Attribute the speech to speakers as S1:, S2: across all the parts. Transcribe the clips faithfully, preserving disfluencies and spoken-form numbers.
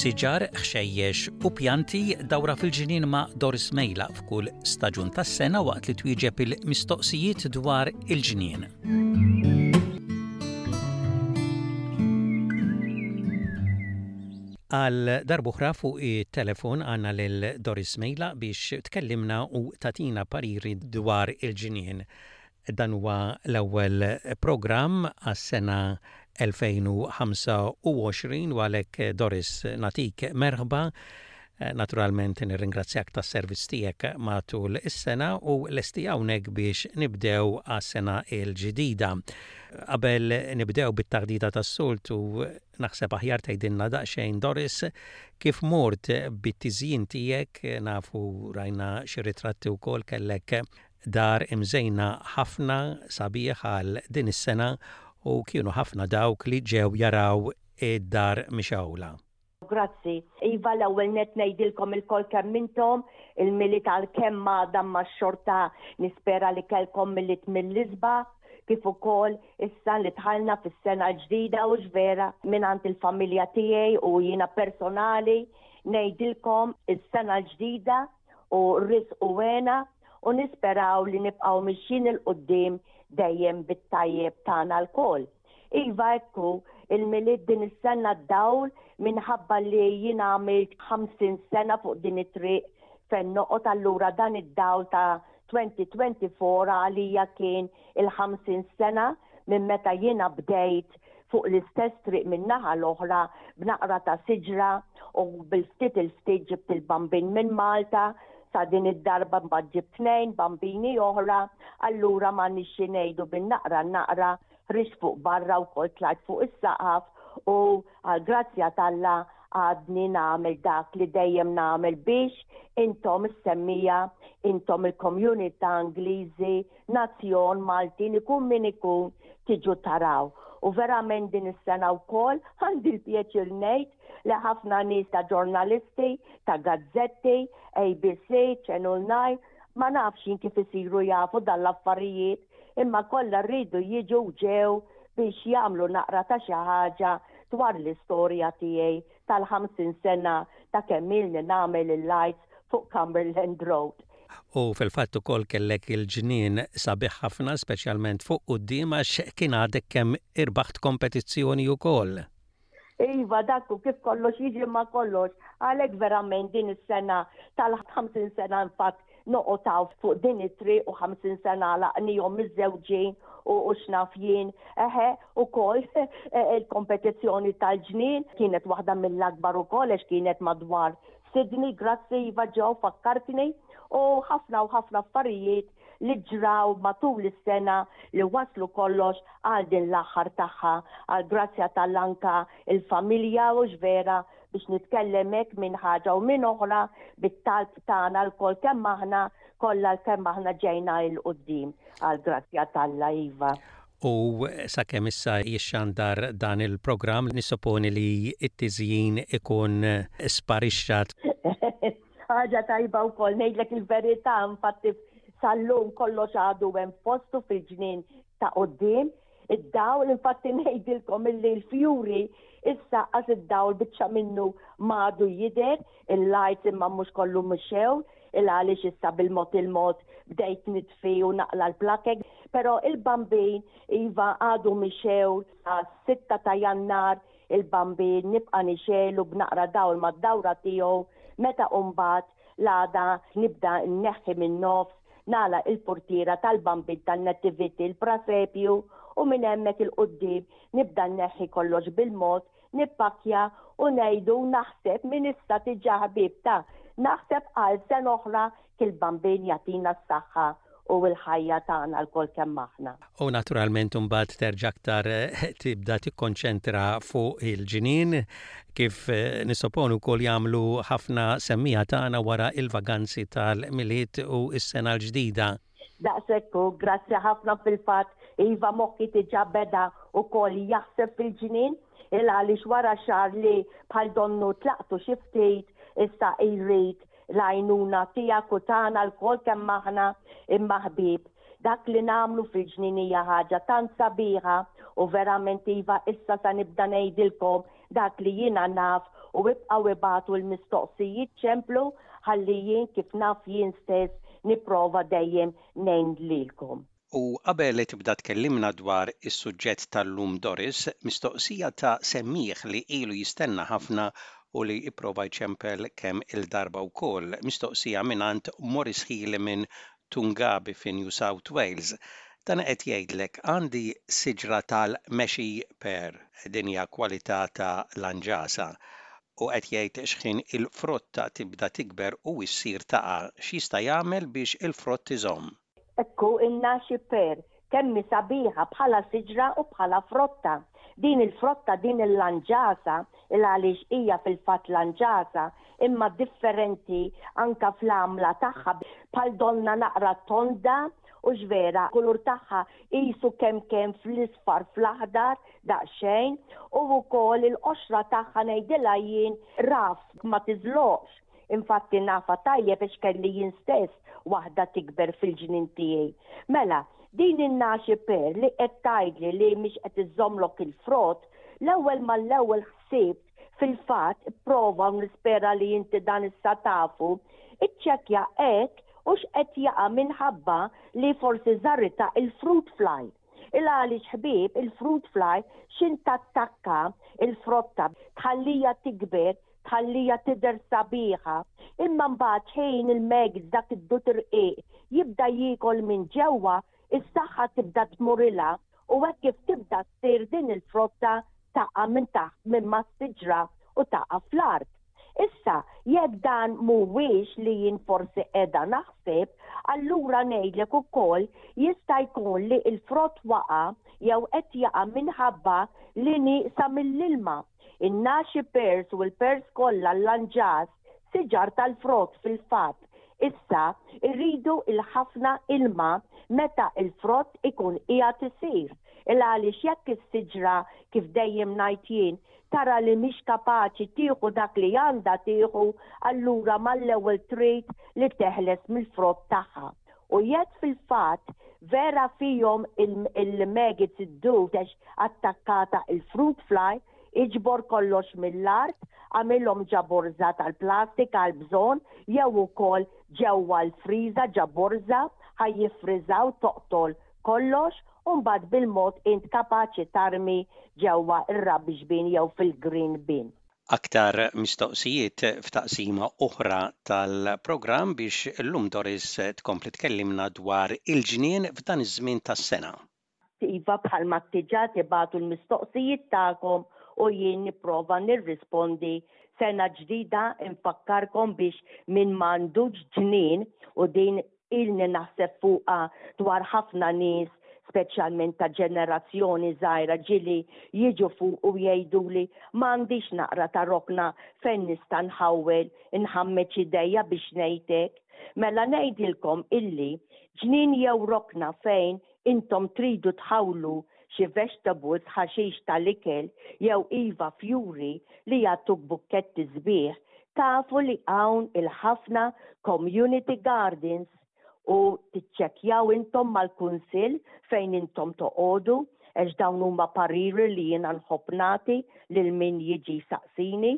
S1: Siġar, ħxejjex u pjanti dawra fil-ġnien ma' Doris Mejla f'kull staġun tas-sena waqt li twieġeb il-mistoqsijiet dwar il-ġnien. Għal darb'oħra fuq it-telefon għandna lil Doris Mejla biex tkellimna u tagħtina pariri dwar il-ġnien. Dan huwa l-ewwel programm għas-sena elfejn u ħamsa u għoxrin u għalhekk Doris natik merħba. Naturalment nirringrazzjak tas-servizz tiegħek matul is-sena u lesti hawnhekk biex nibdew għas-sena l-ġdida. Qabel nibdew bit-taħdita tas-soltu naħseb aħjar tgħidilna daqsxejn Doris kif mort bit-tiżjin tiegħek, nafu rajna xi ritratti wkoll kellek dar imżejna ħafna sabiħ għal din is-sena u kienu ħafna dawk li ġew jaraw id-dar mixgħula.
S2: Grazzi. Iva, l-ewwel net ngħidilkom ilkoll kemm intom, il-Milied għalkemm għadha ma xorta nispera li kellkom Milied mill-isbaħ, kif ukoll issa li dħalna fis-sena l-ġdida u x'vera mingħand il-familja tiegħi u jiena personali ngħidilkom is-sena l-ġdida u risq u għena u nisperaw li nibqgħu mixjin il quddiem dejjem bit-tajjeb tagħna lkoll. Iva, ekku, il-Milied din is-sena d-dawl minħabba li jien għamilt ħamsin sena fuq din it-triq fejn noqgħod, allura dan id-dawl ta' twenty twenty-four għalija kien il-ħamsin sena minn meta jiena bdejt fuq l-istess triq minn naħa l-oħra b'naqra ta' siġra u bil-ftit il-ftit ġibt il-bambin minn Malta, sa din id-darba mbagħad ġibt tnejn bambini oħra, allura ma nixxi ngħidu bin-naqra naqra ħriġt fuq barra wkoll tlajt fuq is-saqaf u għall-grazzja t'Alla għadni nagħmel dak li dejjem nagħmel biex intom is-semmija, intom il-komunità Ingliżi, nazzjon Maltin, ikun min ikun tiġu taraw. U verament din is-sena wkoll għandi l-pjaċir ngħid li ħafna nies ta' ġurnalisti, ta' gazzetti, A B C, Channel nine, ma nafx jien kif isiru jafu dan l-affarijiet, imma kollha rridu jiġu ġew biex jagħmlu naqra ta' xi ħaġa dwar l-istorja tiegħi tal-ħamsin sena ta' kemm ilni nagħmel il-lights fuq Cumberland Road.
S1: U fil-fatt ukoll kellek il-ġnien sabiħ ħafna, speċjalment fuq quddiem għax kien għadek kemm irbaħt kompetizzjoni wkoll.
S2: Iva, dak u kif kollox jiġi ma kollox, għalhekk verament din is-sena tal-ħamsin sena infatt noqgħod hawn fuq din it-triq u ħamsin sena laqnihom miż-żewġin u, u x'naf jien. Eħe, ukoll il-kompetizzjoni tal-ġnien kienet waħda mill-akbar ukoll għax kienet madwar Sydney, grazzi Iva ġew fakkartni, u ħafna u ħafna affarijiet li ġraw matul is-sena li waslu kollox għal din l-aħħar tagħha, għal grazzja tal-anka il-familja u x'vera biex nitkellem hekk minn ħaġa u minn oħra bit-talb tagħna lkoll kemm aħna kollha kemm aħna ġejna il quddiem għal grazzja t'Alla Iva.
S1: U sakemm issa jixxandar dan il-programm nissupponi li t-tiżjin ikun sparixxat.
S2: Ħaġa tajba wkoll ngħidlek il-verità, infatti sal-lum kollox għadu hemm postu fil-ġnien ta' quddiem. Id-dawl, infatti ngħidilkom illi l-fjuri issa qas id-dawl biċċa minnu m'għadu jidher, il-lights imma mhux kollu mxew, il għaliex issa bil-mod il-mod bdejt nitfi u naqla l-plakek, però il-bambin iva għadu mxew sa sitta ta' Jannar, il-bambin nibqa' nixelu b'naqra dawl mad-dawra tiegħu, meta mbagħad l-għada nibda nneħħi min-nofs, nagħlaq il-portiera tal-bambin tan-nativity, il-prasepju, u minn hemmhekk il-quddiem nibda nneħħi kollox bil-mod, nippakkja u ngħidu naħseb minn issa diġà ħbieb ta' naħseb għal sena oħra kil-bambin jagħtina s-saħħa u l-ħajja tagħna lkoll kemm aħna.
S1: U naturalment imbagħad terġa' aktar tibda tikkonċentra fuq il-ġnien kif nissupponu wkoll jagħmlu ħafna semmija tagħna wara il-vaganzi tal-Milied u s-sena l-ġdida.
S2: Daqshekk hu, grazzi ħafna fil-fatt, iva moħħi diġà beda wkoll jaħseb fil-ġnien, il għaliex wara xahar li bħal donnu tlaqtu xi ftit, issa jrid l-għajnuna tiegħek u tagħna lkoll kemm aħna imma ħbieb. Dak li nagħmlu fil-ġnien hija ħaġa tant sabiħa u verament iva, issa sa nibda ngħidilkom dak li jiena naf u ibqgħu ibagħtu l-mistoqsijiet, ċemplu ħalli jien, kif naf jien stess, nipprova dejjem ngħin lilkom.
S1: U qabel li tibda tkellimna dwar is-suġġett tal-lum, Doris, mistoqsija ta' semmiegħ li ilu jistenna ħafna u li ipprova jċempel kemm il-darba wkoll. Mistoqsija mingħand Morris Healy minn Toongabbie fi New South Wales. Dan qed jgħidlek: "Għandi siġra tal-nashi pear, din hija kwalità ta' lanġasa, u qed jgħid x'ħin il-frotta tibda tikber u issir taqa', x'jista' jagħmel biex il-frott iżomm?"
S2: Ekku, in-nashi pear kemm sabiħa bħala siġra u bħala frotta. Din il-frotta, din il-lanġasa, il għaliex hija fil-fatt lanġasa, imma differenti anka fl-għamla tagħha, bħal donna naqra tonda u ġvera, kulur tagħha qisu kemm kemm fl-isfar, fl-aħdar daqsxejn, u wkoll il-qoxra tagħha, ngħidilha jien, rough, ma tiżloqx. Infatti nafha tajjeb biex kelli jien stess waħda tikber fil-ġnien tiegħi. Mela, din in-nashi pear li qed tgħidli li mhix qed iżommlok il-frott, l-ewwel mal-ewwel ħsibt fil-fatt prova, u nispera li inti dan issa tafu, iċċekkja hekk u x'qed jaqa' minħabba li forsi żarita il-fruit fly. Il għaliex, ħbieb, il-fruit fly xin tattakka il-frotta, tħallija tikber, tħallija tidher sabiħa, imma mbagħad ħin il-maggots, dak id-dud irqiq, jibda jiekol minn ġewwa, is-saħħa tibda tmurilha u hekk kif tibda ssir din il-frotta taqa' minn taħt minn mas-siġra u taqa' fl-art. Issa, jekk dan mhuwiex li jien forsi qiegħda naħseb, allura ngħidlek ukoll jista' jkun li l-frott waqa' jew qed jaqa' minħabba li nieqsa mill-ilma. In-nashi pears u l-pears kollha, l-lanġas, siġar tal-frott fil-fatt, issa irridu il-ħafna ilma meta il-frott ikun qiegħed isir. Il għaliex jekk is-siġra, kif dejjem ngħid jien, tara li mhix kapaċi tieħu dak li għandha tieħu, allura mal-ewwel trid li teħles mill-frott tagħha. U jekk fil-fatt vera fihom il-maggots, id-dud, għax attakkata il-fruit fly, iġbor kollox mill-art, għamilhom ġo borża tal-plastik għal bżonn jew ukoll ġewwa l-friża ġo borża, ħa jiffriżaw, toqtol kollox u mbagħad bil-mod int kapaċi tarmi ġewwa ir-rubbish bin jew fil-green bin.
S1: Aktar mistoqsijiet f'taqsima oħra tal-programm biex illum Doris tkompli tkellimna dwar il-ġnien f'dan iż-żmien tas-sena.
S2: Iva, bħalma diġà tibagħtu l-mistoqsijiet tagħkom u jien nipprova nirrispondi. Sena ġdida, infakkarkom biex min m'għandux ġnien, u din ilni naħseb fuqha dwar ħafna nies, speċjalment ta' ġenerazzjoni żgħira, ġieli jiġu fuq u jgħiduli: "M'għandix naqra ta' rokna fejn nista' nħawwel, inħammeġ idejja," biex ngħidlek. Mela ngħidilkom illi ġnien jew rokna fejn intom tridu tħawlu xi vegetables, ħaxix tal-ikel jew iva fjuri li jagħtuk bukketti sbieħ, tafu li hawn il-ħafna community gardens u tiċċekjaw intom mal-kunsill fejn intom toqogħdu, għax dawn huma pariri li jiena nħobb nagħti lil min jiġi saqsini,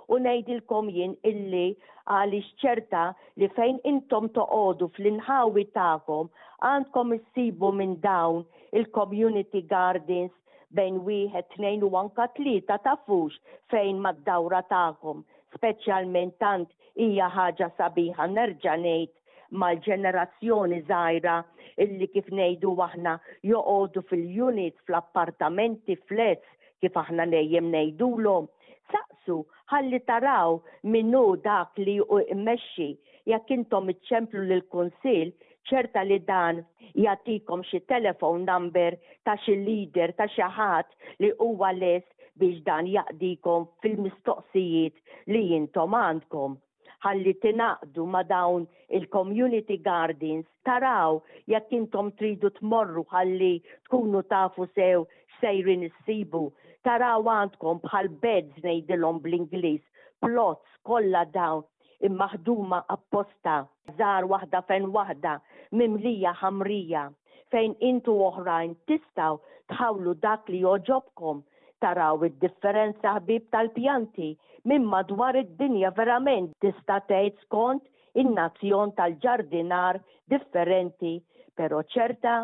S2: u ngħidilkom jien illi għaliex ċerta li fejn intom toqogħdu, fl-inħawi tagħkom, għandkom issibu minn dawn il-community gardens bejn wieħed, tnejn u anka tlieta, tafux fejn mad-dawra tagħkom. Speċjalment tant hija ħaġa sabiħa, nerġa' ngħid, mal-ġenerazzjoni żgħira illi, kif ngħidu aħna, joqogħdu fil-units, fl-appartamenti, flats, kif aħna dejjem ngħidulhom. Saqsu ħalli taraw minnu dak li immexxi. Jekk intom iċċemplu lill-kunsill, ċerta li dan jagħtikom xi telephone number ta' xi leader, ta' xi ħadd li huwa lest biex dan jaqdikom fil-mistoqsijiet li intom għandkom ħalli tingħaqdu ma' dawn il-community gardens, taraw jekk intom tridu tmorru ħalli tkunu tafu sew sejrin issibu. Taraw għandkom bħal beds, ngħidilhom bl-Ingliż, plots, kollha dawn immaħduma apposta, żgħar, waħda fejn waħda, mimlija ħamrija. fejn intu oħrajn tistgħu tħawlu dak li jogħġobkom. Taraw id-differenza, ħbib, tal-pjanti minn madwar id-dinja, verament tista' tgħid skont in-nazzjon tal-ġardinar differenti, però ċerta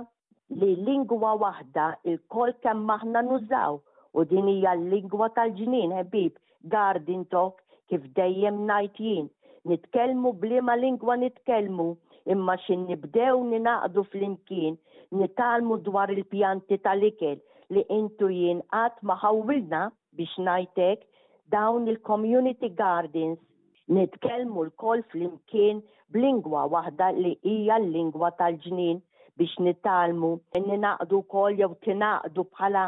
S2: li lingwa waħda ilkoll kemm aħna nużaw u din hija l-lingwa tal-ġnien, ħbib, garden talk, kif dejjem ngħid jien. Nitkellmu b'liema lingwa nitkellmu, imma xin nibdew ningħaqdu flimkien, nitgħallmu dwar il-pjanti tal-ikel li intu jien qatt ma ħawwilna, biex ngħidlek, dawn il-community gardens, nitkellmu lkoll flimkien b'lingwa waħda li hija l-lingwa tal-ġnien biex nitgħallmu, ningħaqdu wkoll jew tingħaqdu bħala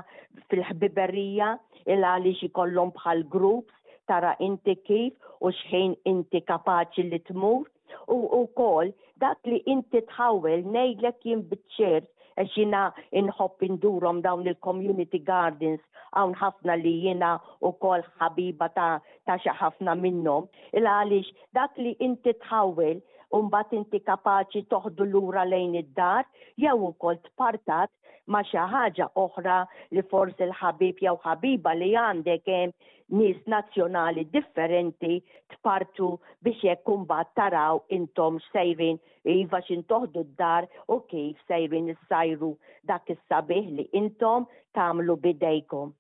S2: fil-ħbiberija, il għaliex ikollhom bħal groups, tara inti kif u xħin inti kapaċi li tmur u wkoll dak li inti tħawel. Ngħidlek jien biċ-ċert, għax jiena inħobb indurhom dawn il-community gardens, hawn ħafna li jiena wkoll ħabiba ta' ta' xi ħafna minnhom, il għaliex dak li inti tħawel u mbagħad inti kapaċi toħdu lura lejn id-dar jew ukoll tpartat ma' xi ħaġa oħra li forsi l-ħabib jew ħabiba li għandek hemm, nies nazzjonali differenti, tpartu biex jekk imbagħad taraw intom sejrin, iva, xin toħdu d-dar u kif sejrin issajru dak is-sabiħ li intom tagħmlu bidejkom.